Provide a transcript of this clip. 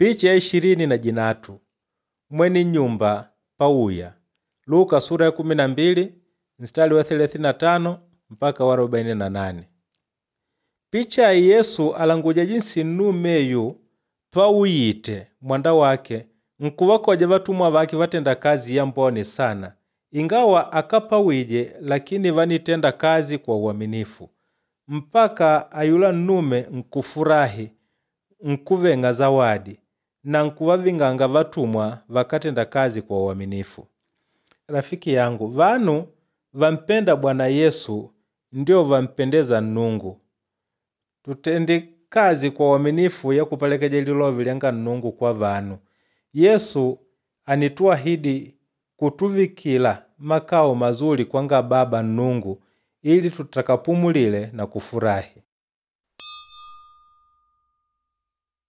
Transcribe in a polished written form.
Picha ya 23 mwene nyumba pauya. Luka sura ya 12 mstari wa 35 mpaka wa 48. Picha ya Yesu alanguja jinsi nnumeyu pauyite mwanda wake nkuvakoja vatumwa vake vatenda kazi yambone sana, ingawa akapawije lakini vanitenda kazi kwa uaminifu mpaka ayula nnume nkufurahi nkuveng'a zawadi na nkuvaving'anga vatumwa vakatenda kazi kwa uaminifu. Rafiki yangu, vanu vampenda Bwana Yesu ndio vampendeza Nnungu. Tutende kazi kwa uaminifu ya kupelekeja lilovi lyanga Nnungu kwa vanu. Yesu anituahidi kutuvikila makao mazuri kwanga Baba Nnungu ili tutakapumulile na kufurahi.